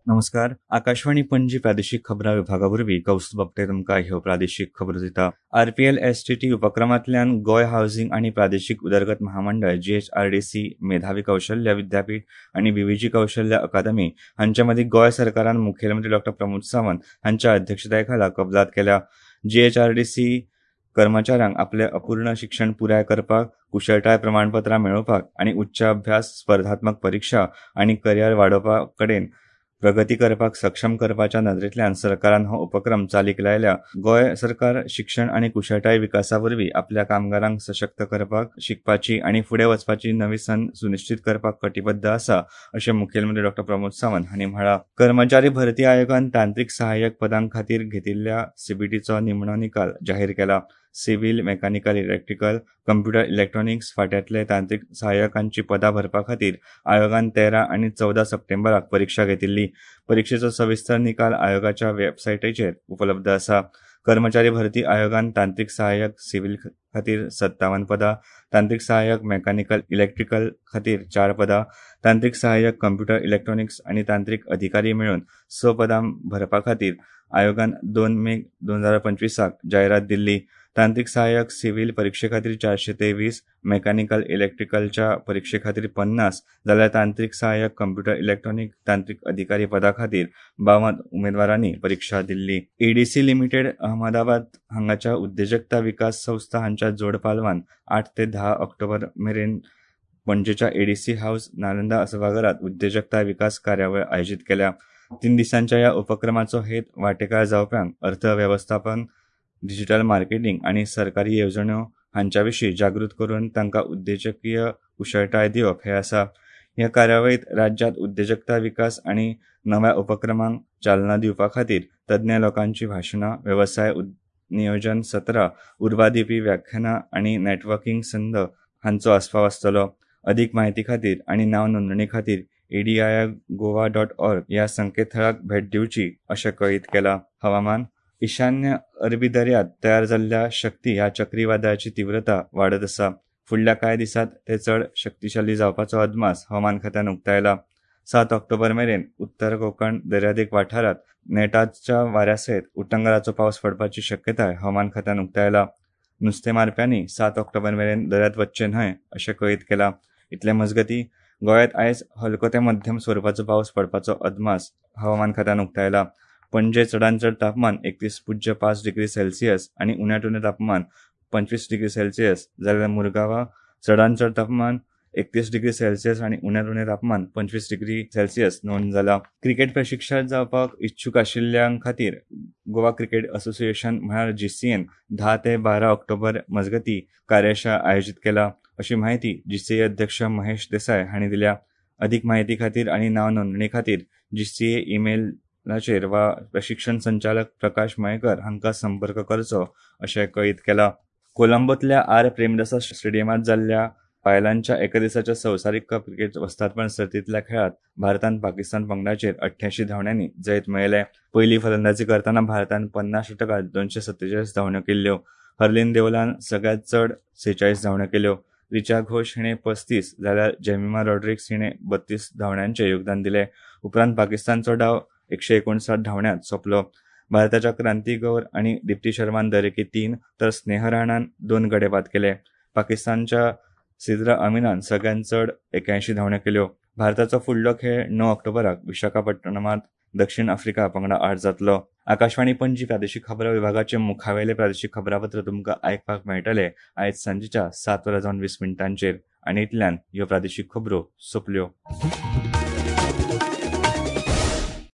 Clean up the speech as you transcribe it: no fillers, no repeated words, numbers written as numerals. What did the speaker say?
नमस्कार, आकाशवाणी पणजी प्रादेशीक खबरां विभागा वरवीं कौस्तुभ आपटे तुमकां ह्यो प्रादेशीक खबरो दिता. आरपीएल एसटीटी उपक्रमांतल्यान गोंय हावसिंग आनी प्रादेशीक उदरगत महामंडळ जीएचआरडीसी, मेधावी कौशल्य विद्यापीठ आनी बीव्हीजी कौशल्य अकादमी हांचे मदीं गोंय सरकारान मुखेलमंत्री डॉ प्रमोद सावंत हांच्या अध्यक्षताये खाला कबलात केल्या. जीएचआरडीसी कर्मचाऱ्यांक आपले अपूर्ण शिक्षण पुराय करपाक, कुशळटाय प्रमाणपत्रां मेळोवपाक आनी उच्च अभ्यास, स्पर्धात्मक परिक्षा आनी करियर वाडोवपा कडेन प्रगती करपाक सक्षम करपाच्या नदरेंतल्यान सरकारान हो उपक्रम चालीक लायल्या. गोंय सरकार शिक्षण आनी कुशळटाय विकासा वरवीं आपल्या कामगारांक सशक्त करपाक, शिकपाची आनी फुडें वचपाची नवी संद सुनिश्चीत करपाक कटिबद्ध आसा अशें मुखेलमंत्री डॉ प्रमोद सावंत हांणी म्हळां. कर्मचारी भरती आयोगान तांत्रिक सहाय्यक पदां खातीर घेतिल्ल्या सीबीटीचो निमणो निकाल जाहीर केला. Civil, mechanical, electrical, computer, electronics फाट्यांतले तांत्रिक सहाय्यकांची पदां भरपा खातीर आयोगान 13 आनी 14 सप्टेंबराक परिक्षा घेतिल्ली. परिक्षेचो सविस्तर निकाल आयोगाच्या वेबसायटीचेर उपलब्ध आसा. कर्मचारी भरती आयोगान तांत्रिक सहाय्यक सिव्हिल खातीर 57 पदां, तांत्रिक सहाय्यक मेकॅनिकल इलेक्ट्रिकल खातीर 4 पदां, तांत्रिक सहाय्यक कम्प्युटर इलेक्ट्रॉनिक्स आनी तांत्रिक अधिकारी मेळून 6 पदां भरपा खातीर आयोगान 2 मे 2025 जायरात दिल्ली. तांत्रिक सहाय्यक सिव्हिल परिक्षे खातीर 423, मेकॅनिकल इलेक्ट्रिकलच्या परिक्षे खातीर 50 जाल्यार तांत्रिक सहाय्यक कम्प्युटर इलेक्ट्रॉनिक तांत्रिक अधिकारी पदा खातीर 52 उमेदवारांनी परिक्षा दिल्ली. एडीसी लिमिटेड अहमदाबाद हांगाच्या उद्देजकता विकास संस्था हांच्या जोड पालवान 8 ते 10 ऑक्टोबर मेरेन पणजेच्या एडीसी हाऊस नालंदा सभाघरात उद्देजकता विकास कार्यावळ आयोजीत केल्या. 3 दिसांच्या ह्या उपक्रमाचो हेत वांटेकार जावप्यांक अर्थवेवस्थापन, डिजिटल मार्केटिंग आनी सरकारी येवजण्यो हांच्या विशीं जागृत करून तांकां उद्देजकीय कुशळटाय दिवप हें आसा. ह्या कार्यावळींत राज्यांत उद्देजकता विकास आनी नव्या उपक्रमांक चालना दिवपा खातीर तज्ञ लोकांची भाशणां, वेवसाय नियोजन सत्रां, उर्बा दिवपी व्याख्यानां आनी नेटवर्किंग संद हांचो आस्पाव आसतलो. अदीक म्हायती खातीर आनी नांव नोंदणी खातीर adigoa.org ह्या संकेतथळाक भेट दिवची अशें कळीत केलां. हवामान, ईशान्य अरबी दर्यांत तयार जाल्ल्या शक्ती ह्या चक्रीवादळाची तीव्रता वाडत आसा. फुडल्या कांय दिसांत ते चड शक्तिशाली जावपाचो अदमास हवामान खात्यान उक्तायला. 7 ऑक्टोबर मेरेन उत्तर कोकण दर्यादेग वाठारांत नेटाच्या वाऱ्या सयत उटंगाराचो पावस पडपाची शक्यताय हवामान खात्यान उक्तायला. नुस्तें मारप्यांनी 7 ऑक्टोबर मेरेन दर्यांत वचचें न्हय अशें कळीत केलां. इतले मजगतीं गोंयांत आयज हलको ते मध्यम स्वरुपाचो पावस पडपाचो अदमास हवामान खात्यान उक्तायला. पणजे चडांत चड तापमान 31.5 डिग्री सेल्सियस आनी उण्यांत उणें तापमान 25 डिग्री सेल्सियस जाल्यार मुरगांवां चडांत चड तापमान 31 डिग्री सेल्सियस आनी उण्यांत उणें तापमान 25 डिग्री सेल्सियस नोंद जाला. क्रिकेट प्रशिक्षक जावपाक इच्छूक आशिल्ल्यां खातीर गोवा क्रिकेट असोसिएशन म्हळ्यार जीसीएन 10 ते 12 ऑक्टोबर मजगतीं कार्यशाळा आयोजीत केला अशी म्हायती जीसीए अध्यक्ष महेश देसाय हांणी दिल्या. अदीक म्हायती खातीर आनी नांव नोंदणी खातीर जीसीए ईमेल लाचेर वा प्रशिक्षण संचालक प्रकाश मयेकर हांकां संपर्क करचो अशें कळीत केलां. कोलंबोंतल्या आर प्रेमदासा स्टेडियमांत जाल्ल्या बायलांच्या एका दिसाच्या संवसारीक कप क्रिकेट वस्तादपण सर्तींतल्या खेळांत भारतान पाकिस्तान पंगडाचेर 88 धांवड्यांनी जैत मेळयलें. पयली फलंदाजी करतना भारतान 50 षटकांत 247 धांवड्यो केल्ल्यो. हरलीन देओलान सगळ्यांत चड 46 धांवड्यो केल्यो. रिचा घोष हिणें 35 जाल्यार जेमिमा रॉड्रिग्स हिणें 32 धांवड्यांचें योगदान दिलें. उपरांत पाकिस्तानचो डाव 159 धांवड्यांत सोंपलो. भारताच्या क्रांती गौर आनी दीप्ती शर्मान दरेकी 3 तर स्नेह राणान 2 गडे बाद केले. पाकिस्तानच्या सिद्रा अमीनान सगळ्यांत चड 81 धांवड्यो केल्यो. भारताचो फुडलो खेळ 9 ऑक्टोबराक विशाखापट्टणमांत दक्षिण आफ्रिका पंगडा आड जातलो. आकाशवाणी पणजी प्रादेशीक खबरां विभागाचे मुखावेले प्रादेशीक खबरापत्र तुमकां आयकपाक मेळटलें आयज सांजेच्या 7:20 आनी इतल्यान ह्यो प्रादेशीक खबरो सोंपल्यो.